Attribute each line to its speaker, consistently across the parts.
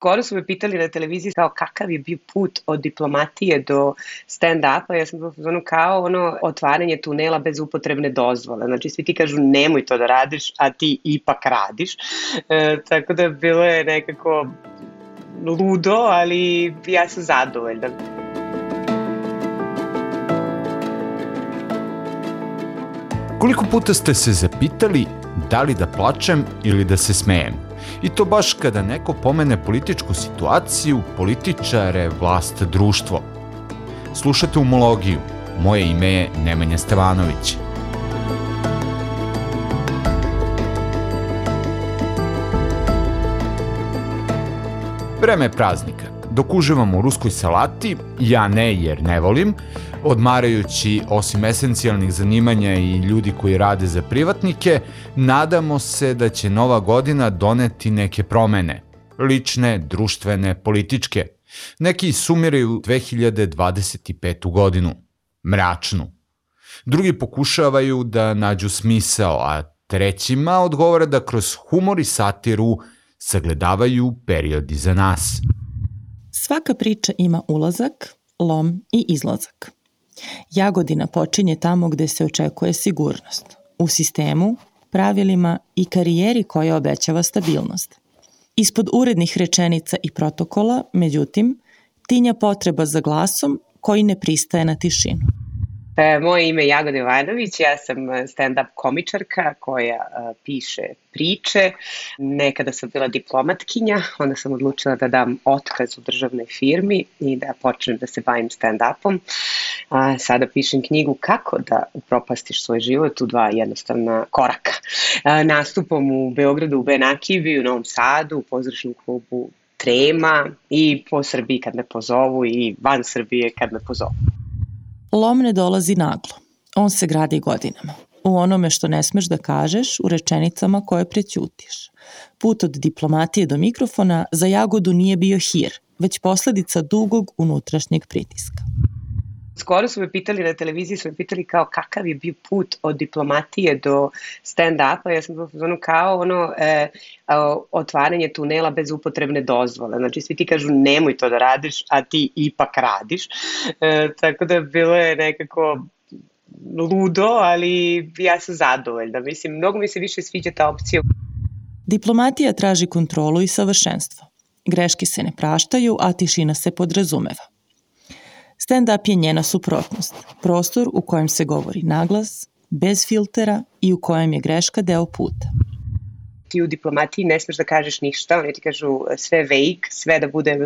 Speaker 1: Skoro su me pitali na televiziji kao kakav je bio put od diplomatije do stand-upa. Ja sam bila kao otvaranje tunela bez upotrebne dozvole. Znači svi ti kažu nemoj to da radiš, a ti ipak radiš. Tako da bilo je nekako ludo, ali ja sam zadovoljna.
Speaker 2: Koliko puta ste se zapitali da li da plačem ili da se smejem? I to baš kada neko pomene političku situaciju, političare, vlast, društvo. Slušate Umologiju. Moje ime je Nemanja Stevanović. Vreme je praznika. Dok uživam u ruskoj salati, ja ne jer ne volim, odmarajući osim esencijalnih zanimanja i ljudi koji rade za privatnike, nadamo se da će nova godina doneti neke promene. Lične, društvene, političke. Neki sumiraju 2025. godinu. Mračnu. Drugi pokušavaju da nađu smisao, a trećima odgovara da kroz humor i satiru sagledavaju period iza nas.
Speaker 3: Svaka priča ima ulazak, lom i izlazak. Jagodina počinje tamo gde se očekuje sigurnost, u sistemu, pravilima i karijeri koja obećava stabilnost. Ispod urednih rečenica i protokola, međutim, tinja potreba za glasom koji ne pristaje na tišinu.
Speaker 1: Moje ime je Jagoda Jovanović, ja sam stand-up komičarka koja piše priče. Nekada sam bila diplomatkinja, onda sam odlučila da dam otkaz u državnoj firmi i da počnem da se bavim stand-upom. Sada pišem knjigu Kako da upropastiš svoj život u 2 jednostavna koraka. Nastupom u Beogradu, u Benakivi, u Novom Sadu, u pozorišnom klubu Trema i po Srbiji kad me pozovu i van Srbije kad me pozovu.
Speaker 3: Lom ne dolazi naglo. On se gradi godinama. U onome što ne smeš da kažeš, u rečenicama koje prećutiš. Put od diplomatije do mikrofona za Jagodu nije bio hir, već posledica dugog unutrašnjeg pritiska.
Speaker 1: Skoro su me pitali na televiziji, kao kakav je bio put od diplomatije do stand-upa. Ja sam bila kao otvaranje tunela bez upotrebne dozvole. Znači svi ti kažu nemoj to da radiš, a ti ipak radiš. Tako da bilo je nekako ludo, ali ja sam zadovoljna. Mislim, mnogo mi se više sviđa ta opcija.
Speaker 3: Diplomatija traži kontrolu i savršenstvo. Greške se ne praštaju, a tišina se podrazumeva. Stand-up je njena suprotnost, prostor u kojem se govori naglas, bez filtera i u kojem je greška deo puta.
Speaker 1: Ti u diplomatiji ne smeš da kažeš ništa, oni ti kažu sve vague, sve da bude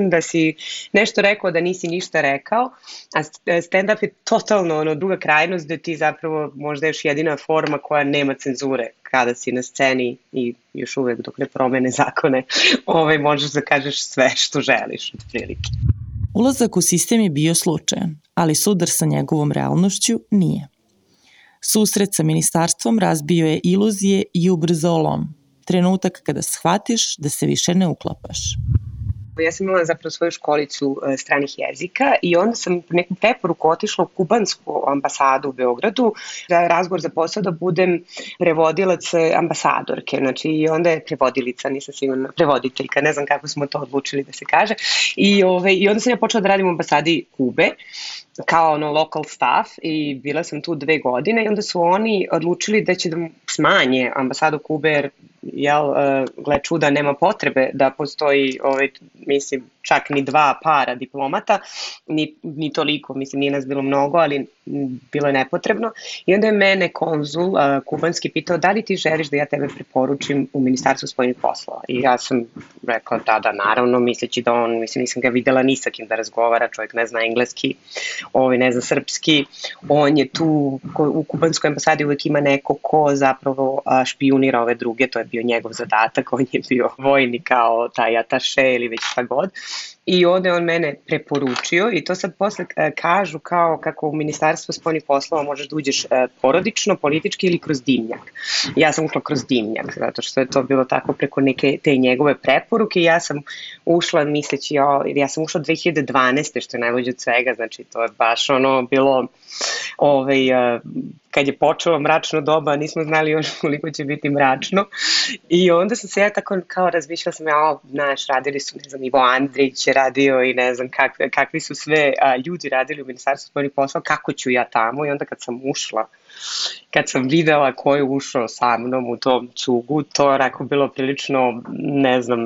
Speaker 1: da si nešto rekao, da nisi ništa rekao, a stand-up je totalno druga krajnost gde ti zapravo možda još jedina forma koja nema cenzure kada si na sceni i još uvek dok ne promene zakone, možeš da kažeš sve što želiš od prilike.
Speaker 3: Ulazak u sistem je bio slučajan, ali sudar sa njegovom realnošću nije. Susret sa ministarstvom razbio je iluzije i ubrzao lom. Trenutak kada shvatiš da se više ne uklapaš.
Speaker 1: Ja sam imala zapravo svoju školicu stranih jezika i onda sam neku preporuku otišla u kubansku ambasadu u Beogradu za razgovor za posao da budem prevodilac ambasadorke. Znači i onda je prevodilica, nisam sigurna, prevoditeljka, ne znam kako smo to odlučili da se kaže. I onda sam ja počela da radim u ambasadi Kube kao local staff i bila sam tu 2 godine i onda su oni odlučili da će da smanje ambasadu Kube jer gle čuda, nema potrebe da postoji, mislim, čak ni 2 para diplomata, ni toliko, mislim, nije nas bilo mnogo, ali bilo je nepotrebno. I onda je mene konzul kubanski pitao da li ti želiš da ja tebe preporučim u Ministarstvu spoljnih poslova. I ja sam rekla da, naravno, misleći da on, mislim, nisam ga videla ni sa kim da razgovara, čovjek ne zna engleski, ne zna srpski, on je tu, u kubanskoj ambasadi uvek ima neko ko zapravo špijunira ove druge, to je bio njegov zadatak, on je bio vojnik kao taj ataše ili već šta god. I onda je on mene preporučio i to sad posle kažu kao kako u Ministarstvo spoljnih poslova možeš da uđeš porodično, politički ili kroz dimnjak. Ja sam ušla kroz dimnjak, zato što je to bilo tako preko neke te njegove preporuke i ja sam ušla misleći, ja sam ušla 2012. što je najluđe od svega, znači to je baš bilo kad je počelo mračno doba, nismo znali još koliko će biti mračno. I onda sam se ja tako kao razmišljala sam, znaš, radili su, ne znam, Ivo Andrić je radio i ne znam kakvi su sve ljudi radili u Ministarstvu spoljnih poslova, kako ću ja tamo. I onda kad sam ušla, kad sam videla ko je ušao sa mnom u tom cugu, to je onako bilo prilično, ne znam,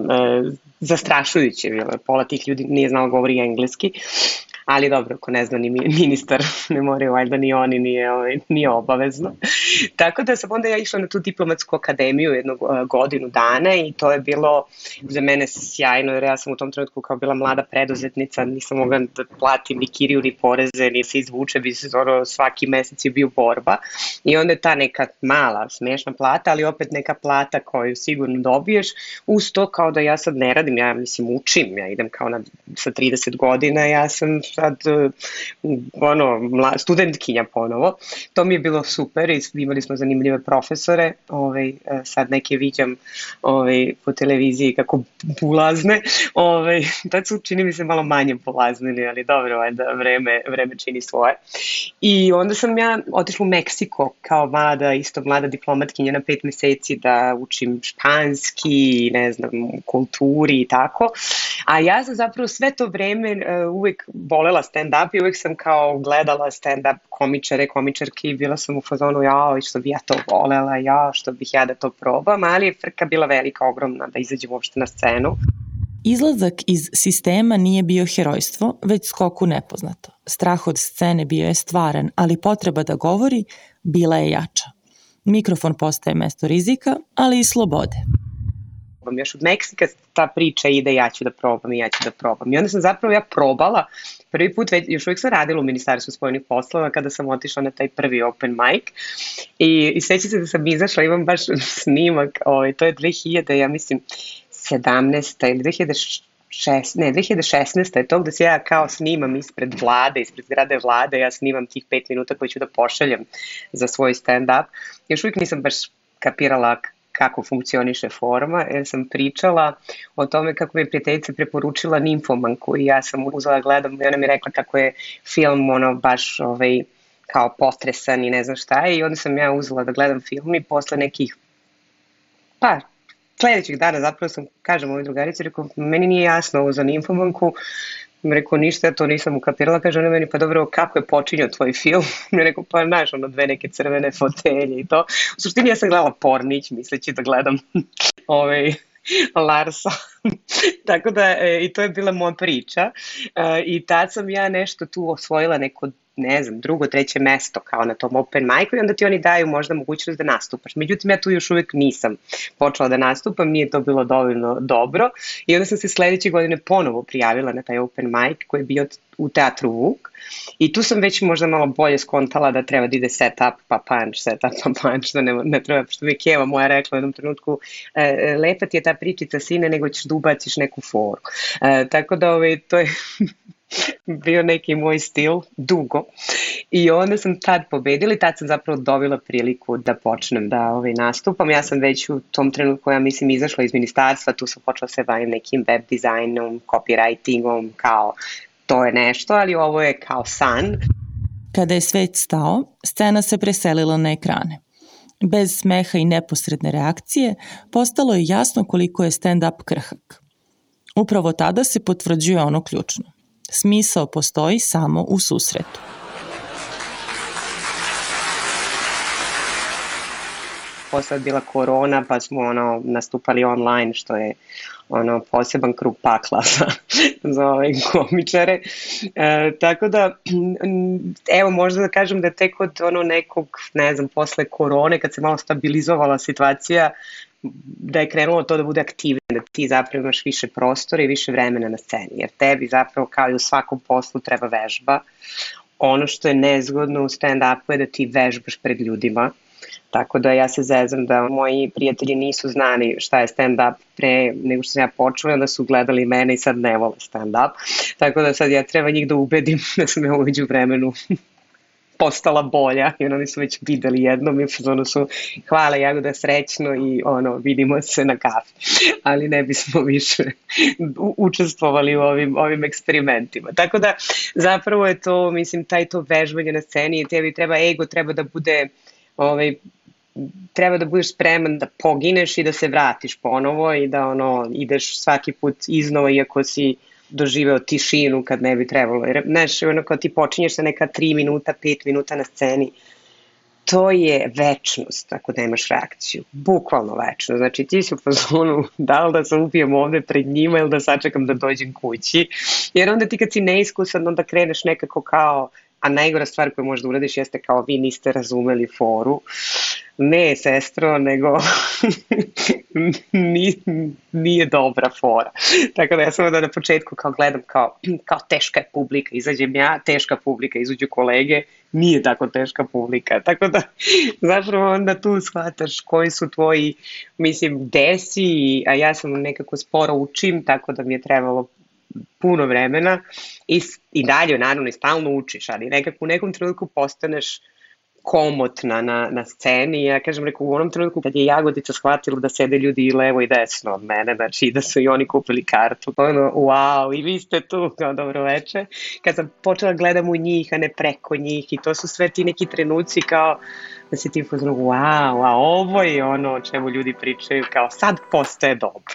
Speaker 1: zastrašujuće bilo. Pola tih ljudi nije znalo govori engleski, ali dobro, ako ne zna ni ministar, ne moraju, valjda ni oni, nije obavezno. Tako da sam onda ja išla na tu diplomatsku akademiju jednu godinu dana i to je bilo za mene sjajno, jer ja sam u tom trenutku kao bila mlada preduzetnica, nisam mogla da platim ni kiriju, ni poreze, ni se izvuče, svaki mesec je bio borba i onda je ta neka mala, smešna plata, ali opet neka plata koju sigurno dobiješ, uz to kao da ja sad ne radim, ja mislim učim, ja idem kao sa 30 godina, ja sam sad studentkinja ponovo. To mi je bilo super i imali smo zanimljive profesore, sad neke viđam po televiziji kako bulazne, tad su čini mi se malo manje bulaznili, ali dobro, vreme čini svoje. I onda sam ja otišla u Meksiko kao mlada diplomatkinja na 5 meseci da učim španski, ne znam, kulturi i tako, a ja sam zapravo sve to vreme uvek volela stand-up i uvek sam kao gledala stand-up komičarke i bila sam u fazonu, što bi ja to volela, što bih ja da to probam, ali je frka bila velika, ogromna da izađem uopšte na scenu.
Speaker 3: Izlazak iz sistema nije bio herojstvo, već skok u nepoznato. Strah od scene bio je stvaran, ali potreba da govori bila je jača. Mikrofon postaje mesto rizika, ali i slobode.
Speaker 1: Još od Meksika ta priča ide ja ću da probam. I onda sam zapravo ja probala, prvi put, još uvijek sam radila u Ministarstvu spoljnih poslova kada sam otišla na taj prvi open mic i sećam se da sam izašla, imam baš snimak, to je 2000, ja mislim 17. ili 2016. je to gde se ja kao snimam ispred zgrade vlade, ja snimam tih 5 minuta koje ću da pošaljem za svoj stand-up. Još uvijek nisam baš kapirala kako funkcioniše forma, jer sam pričala o tome kako mi je prijateljica preporučila Nimfomanku i ja sam uzela gledam i ona mi rekla kako je film baš kao potresan i ne znam šta i onda sam ja uzela da gledam film i posle nekih sledećih dana zapravo sam, kažem ovoj drugarici, rekao, meni nije jasno ovo za Nimfomanku, rekao, ništa, ja to nisam ukapirala, kaže ona meni, pa dobro, kako je počinjao tvoj film? Mi rekao, pa znaš, dve neke crvene fotelje i to. U suštini ja sam gledala Pornić, misleći da gledam Larsa. Tako da, i to je bila moja priča. I tad sam ja nešto tu osvojila neko, ne znam, drugo, treće mesto kao na tom open micu i onda ti oni daju možda mogućnost da nastupaš. Međutim, ja tu još uvijek nisam počela da nastupam, nije to bilo dovoljno dobro i onda sam se sledeće godine ponovo prijavila na taj open mic koji je bio u Teatru Vuk i tu sam već možda malo bolje skontala da treba da ide set-up pa punch, da ne treba, što mi je Keva moja rekla u jednom trenutku, lepa ti je ta pričica sine, nego ćeš da ubaciš neku foru. Tako da to je bio neki moj stil, dugo. I onda sam tad pobedila i tad sam zapravo dobila priliku da počnem da nastupam. Ja sam već u tom trenutku, ja mislim, izašla iz ministarstva, tu sam počela se bavim nekim web dizajnom, copywritingom, kao to je nešto, ali ovo je kao san.
Speaker 3: Kada je svet stao, scena se preselila na ekrane. Bez smeha i neposredne reakcije, postalo je jasno koliko je stand-up krhak. Upravo tada se potvrđuje ono ključno. Smisao postoji samo u susretu.
Speaker 1: Posle je bila korona, pa smo nastupali online, što je poseban krug pakla za ove komičare. Tako da, evo, možda da kažem da tek od nekog, ne znam, posle korone, kad se malo stabilizovala situacija, da je krenulo to da bude aktivno, da ti zapravo imaš više prostora i više vremena na sceni, jer tebi zapravo kao i u svakom poslu treba vežba. Ono što je nezgodno u stand-upu je da ti vežbaš pred ljudima, tako da ja se zezam da moji prijatelji nisu znali šta je stand-up pre nego što sam ja počela, onda su gledali mene i sad ne vole stand-up, tako da sad ja treba njih da ubedim da sam ja umeđu vremenu postala bolja, jer oni su već videli jednom i ono su hvala Jagoda, srećno i vidimo se na kafi. Ali ne bismo više učestvovali u ovim eksperimentima. Tako da zapravo je to, mislim, to vežbanje na sceni, tebi treba ego, treba da bude treba da budeš spreman da pogineš i da se vratiš ponovo i da ideš svaki put iznova iako si doživeo tišinu kad ne bi trebalo. Jer, znaš, kad ti počinješ sa neka 3 minuta, 5 minuta na sceni, to je večnost ako nemaš reakciju. Bukvalno večnost. Znači ti si u fazonu da li da se upijem ovde pred njima ili da sačekam da dođem kući. Jer onda ti kad si neiskusan, onda kreneš nekako kao, a najgora stvar koju možda uradiš jeste kao vi niste razumeli foru. Ne, sestro, nego nije dobra fora. Tako da ja sam onda na početku kao gledam kao teška je publika, izađem ja, teška publika, izađu kolege, nije tako teška publika. Tako da zapravo onda tu shvataš koji su tvoji, mislim, desi, a ja sam nekako sporo učim, tako da mi je trebalo puno vremena i dalje, naravno, i stalno učiš, ali nekako u nekom trenutku postaneš komotna na sceni. Ja kažem, u onom trenutku kad je Jagodica shvatila da sede ljudi i levo i desno od mene, znači da su i oni kupili kartu, to je wow, i vi ste tu, kao dobro veče. Kad sam počela gledam u njih, a ne preko njih, i to su sve ti neki trenuci kao da se ti pozdrav, wow, a ovo je ono o čemu ljudi pričaju, kao sad postaje dobro.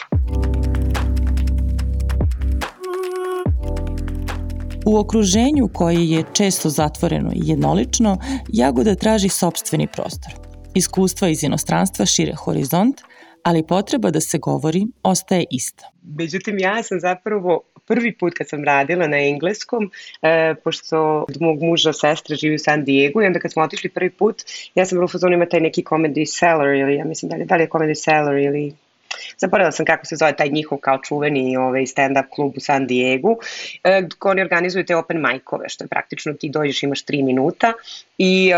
Speaker 3: U okruženju koje je često zatvoreno i jednolično, Jagoda traži sopstveni prostor. Iskustva iz inostranstva šire horizont, ali potreba da se govori ostaje ista.
Speaker 1: Međutim, ja sam zapravo prvi put kad sam radila na engleskom, pošto od mog muža sestra živi u San Diego i onda kad smo otišli prvi put, ja sam u fazonu ima taj neki Comedy Cellar ili ja mislim da li je Comedy Cellar ili zaboravila sam kako se zove taj njihov kao čuveni stand-up klub u San Diegu, oni organizuju te open mic-ove, što je praktično ti dođeš, imaš 3 minuta i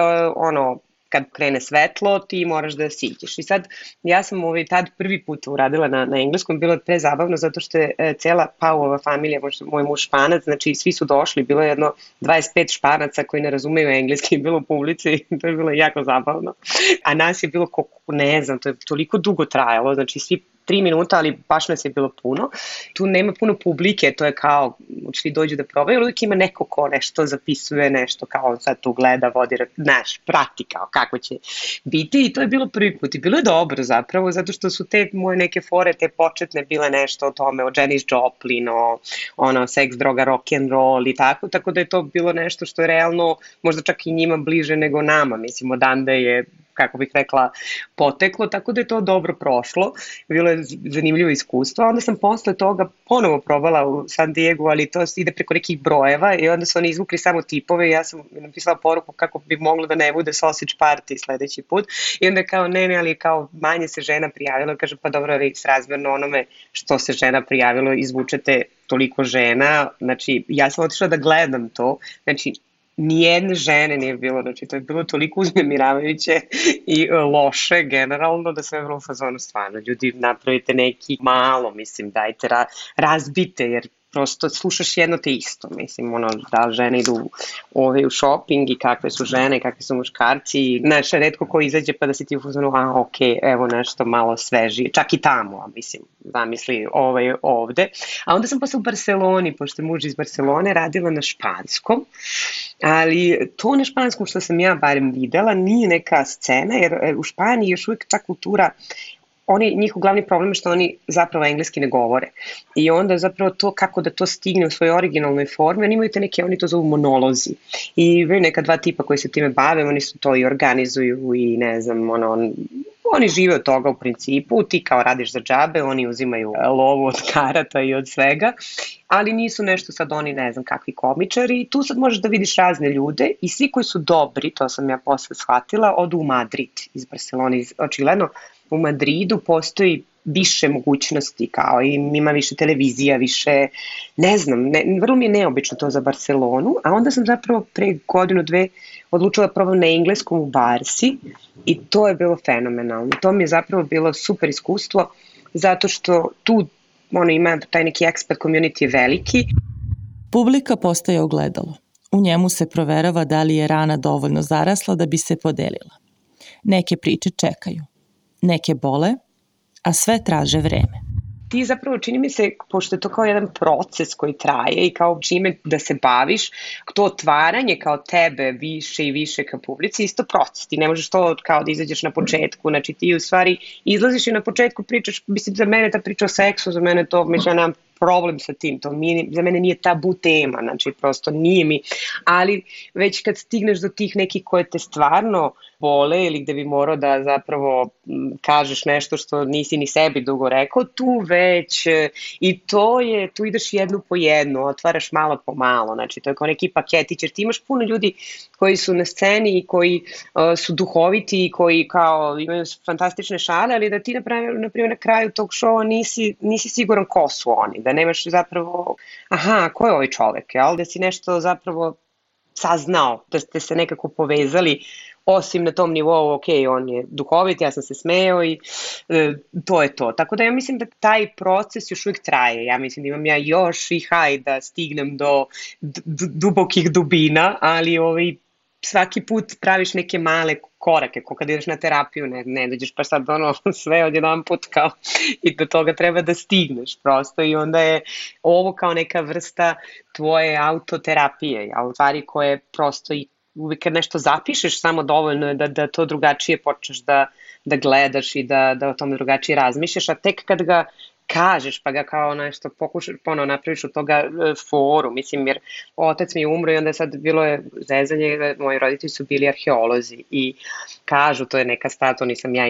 Speaker 1: kad krene svetlo, ti moraš da siđeš. I sad, ja sam tad prvi put uradila na engleskom, bilo je prezabavno zato što je cela Pauova familija, moj muž Španac, znači svi su došli, bilo je jedno 25 Španaca koji ne razumeju engleski, bilo u publici, to je bilo jako zabavno. A nas je bilo, ne znam, to je toliko dugo trajalo, znači svi 3 minuta, ali baš nas je bilo puno. Tu nema puno publike, to je kao, svi dođu da probaju, uvijek ima neko ko nešto zapisuje, nešto kao sad tu gleda, vodi, prati kao kako će biti i to je bilo prvi put i bilo je dobro zapravo, zato što su te moje neke fore, te početne bile nešto o tome, o Janis Joplin, o seks, droga, rock and roll i tako da je to bilo nešto što je realno možda čak i njima bliže nego nama, mislim, odande je kako bih rekla, poteklo, tako da je to dobro prošlo, bilo je zanimljivo iskustvo, onda sam posle toga ponovo probala u San Diego, ali to ide preko nekih brojeva i onda su oni izvukli samo tipove i ja sam napisala poruku kako bi moglo da ne bude sausage party sledeći put i onda kao ne, ali kao manje se žena prijavila, kaže pa dobro, vi srazmjerno onome što se žena prijavilo izvučete toliko žena, znači ja sam otišla da gledam to, znači nijedne žene nije bilo, znači to je bilo toliko uznemiravajuće i loše generalno da sve je bilo u fazonu stvarno. Ljudi napravite neki malo, mislim, dajte, razbite, jer prosto slušaš jedno te isto, mislim, da žene idu u shopping i kakve su žene, kakvi su muškarci, znaš, redko ko izađe pa da si ti u fazonu, ok, evo nešto malo svežije, čak i tamo, mislim, zamisli ovde. A onda sam posle u Barceloni, pošto je muž iz Barcelone, radila na španskom, ali to na španskom što sam ja barem videla nije neka scena, jer u Španiji još uvijek ta kultura, njihov glavni problem je što oni zapravo engleski ne govore. I onda zapravo to kako da to stigne u svojoj originalnoj formi, oni imaju te neke, oni to zovu monolozi. I imaju neka 2 tipa koji se time bave, oni su to i organizuju i ne znam, oni žive od toga u principu, ti kao radiš za džabe, oni uzimaju lovu od karata i od svega, ali nisu nešto sad oni ne znam kakvi komičari i tu sad možeš da vidiš razne ljude i svi koji su dobri, to sam ja posle shvatila, odu u Madrid iz Barcelone, očigledno u Madridu postoji više mogućnosti, kao i ima više televizija, više, ne znam, vrlo mi je neobično to za Barcelonu, a onda sam zapravo pre 1-2 odlučila da probam na engleskom u Barsi i to je bilo fenomenalno. To mi je zapravo bilo super iskustvo, zato što tu ima taj neki expat community veliki.
Speaker 3: Publika postaje ogledalo. U njemu se proverava da li je rana dovoljno zarasla da bi se podelila. Neke priče čekaju, neke bole, a sve traže vreme.
Speaker 1: Ti zapravo, čini mi se, pošto je to kao jedan proces koji traje i kao čime da se baviš, to otvaranje kao tebe više i više ka publici, isto proces. Ti ne možeš to kao da izađeš na početku, znači ti u stvari izlaziš i na početku pričaš, mislim, za mene ta priča o seksu, za mene to, mislim, ja nemam problem sa tim, to za mene nije tabu tema, znači prosto nije mi, ali već kad stigneš do tih nekih koje te stvarno bole ili gde bi morao da zapravo kažeš nešto što nisi ni sebi dugo rekao, tu već i tu ideš jednu po jednu, otvaraš malo po malo, znači to je kao neki paketić, jer ti imaš puno ljudi koji su na sceni i koji su duhoviti i koji kao imaju fantastične šale, ali da ti na primjer na kraju tog šova nisi siguran ko su oni, da nemaš zapravo, ko je ovaj čovek, jel? Da si nešto zapravo saznao, da ste se nekako povezali, osim na tom nivou, ok, on je duhovit, ja sam se smeo i to je to. Tako da ja mislim da taj proces još uvijek traje. Ja mislim da imam ja još i da stignem do dubokih dubina, ali svaki put praviš neke male korake, ko kad ideš na terapiju, ne dođeš pa sad sve odjedan put kao i do toga treba da stigneš prosto i onda je ovo kao neka vrsta tvoje autoterapije, a u stvari koje prosto i uvijek kad nešto zapišeš samo dovoljno je da to drugačije počneš da gledaš i da o tome drugačije razmišljaš, a tek kad ga kažeš pa ga kao nešto pokušaš ponovo napraviš od toga foru, mislim jer otac mi je umro i onda sad bilo je zezanje, moji roditelji su bili arheolozi i kažu, to je neka stvar, to nisam ja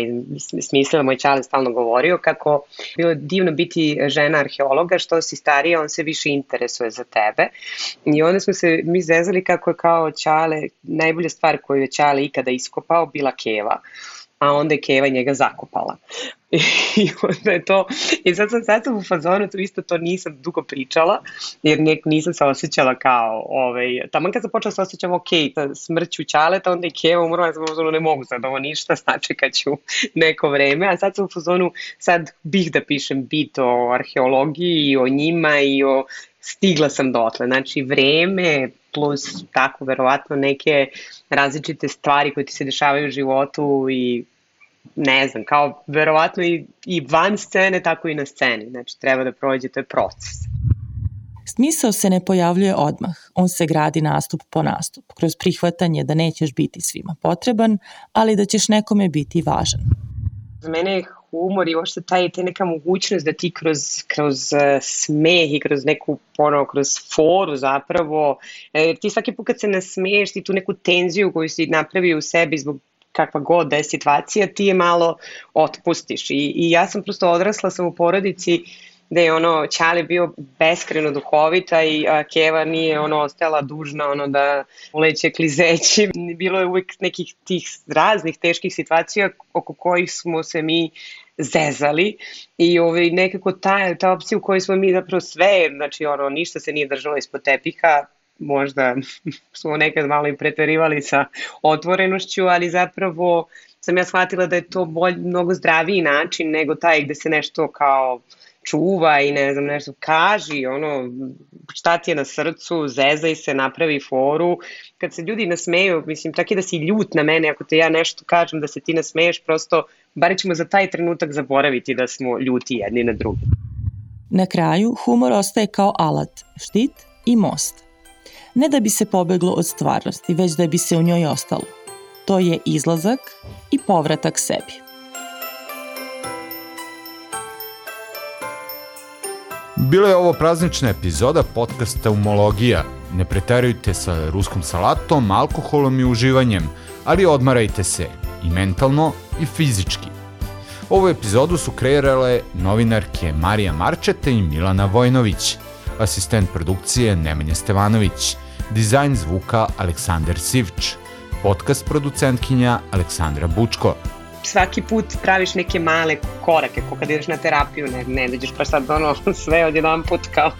Speaker 1: smislila, moj čale stalno govorio kako bilo je divno biti žena arheologa, što si starija on se više interesuje za tebe i onda smo se mi zezali kako je kao čale, najbolja stvar koju je čale ikada iskopao bila keva, a onda je keva njega zakopala. I onda je to, i sad sam u fazonu, to nisam dugo pričala, jer nisam se osjećala kao, taman kad sam počela se osjećam ok, smrću ćaleta, onda je keva umrla, ja sam u fazonu ne mogu sad ovo ništa, sačekat ću neko vreme, a sad sam u fazonu, sad bih da pišem bit o arheologiji i o njima i stigla sam dotle, znači vreme plus tako verovatno neke različite stvari koje ti se dešavaju u životu i ne znam, kao verovatno i van scene, tako i na sceni. Znači, treba da prođe, to je proces.
Speaker 3: Smisao se ne pojavljuje odmah. On se gradi nastup po nastup, kroz prihvatanje da nećeš biti svima potreban, ali da ćeš nekome biti važan.
Speaker 1: Za mene je humor i uopšte ta neka mogućnost da ti kroz smeh i kroz neku kroz foru zapravo, ti svaki put kad se nasmeješ ti tu neku tenziju koju si napravio u sebi zbog kakva god da je situacija, ti je malo otpustiš. I ja sam prosto odrasla sam u porodici da je Ćale bio beskreno duhovita i keva nije ostajala dužna da uleće klizeći. Bilo je uvijek nekih tih raznih teških situacija oko kojih smo se mi zezali i nekako ta opcija u kojoj smo mi zapravo sve, znači ništa se nije držalo ispod tepiha, možda smo nekad malo i preterivali sa otvorenošću, ali zapravo sam ja shvatila da je to mnogo zdraviji način nego taj gde se nešto kao čuva i ne znam nešto kaži, šta ti je na srcu, zezaj se, napravi foru. Kad se ljudi nasmeju, mislim, čak i da si ljut na mene, ako te ja nešto kažem da se ti nasmeješ, prosto, bar ćemo za taj trenutak zaboraviti da smo ljuti jedni na drugi.
Speaker 3: Na kraju, humor ostaje kao alat, štit i most. Ne da bi se pobeglo od stvarnosti, već da bi se u njoj ostalo. To je izlazak i povratak sebi.
Speaker 2: Bila je ovo praznična epizoda podcasta Umologija. Ne preterujte sa ruskom salatom, alkoholom i uživanjem, ali odmarajte se i mentalno i fizički. Ovu epizodu su kreirale novinarke Marija Marčeta i Milana Vojnović, asistent produkcije Nemanja Stevanović, dizajn zvuka Aleksandar Sivč, podcast producentkinja Aleksandra Bučko.
Speaker 1: Svaki put praviš neke male korake, ko kad ideš na terapiju, ne dođeš pa sad sve odjedan put kao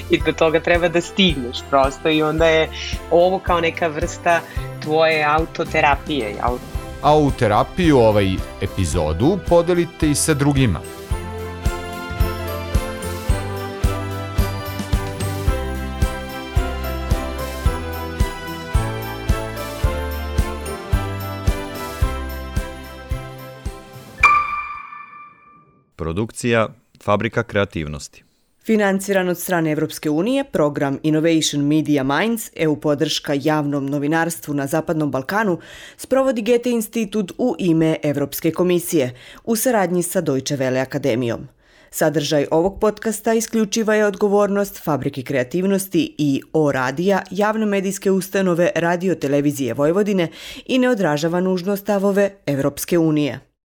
Speaker 1: i do toga treba da stigneš prosto i onda je ovo kao neka vrsta tvoje autoterapije.
Speaker 2: A u terapiju epizodu podelite i sa drugima.
Speaker 4: produkcija Fabrika kreativnosti.
Speaker 5: Financiran od strane Evropske unije, program Innovation Media Minds, EU podrška javnom novinarstvu na Zapadnom Balkanu, sprovodi Goethe institut u ime Evropske komisije u saradnji sa Deutsche Welle akademijom. Sadržaj ovog podcasta isključiva je odgovornost Fabrike kreativnosti i O-radija, javne medijske ustanove Radio Televizije Vojvodine i ne odražava nužno stavove Evropske unije.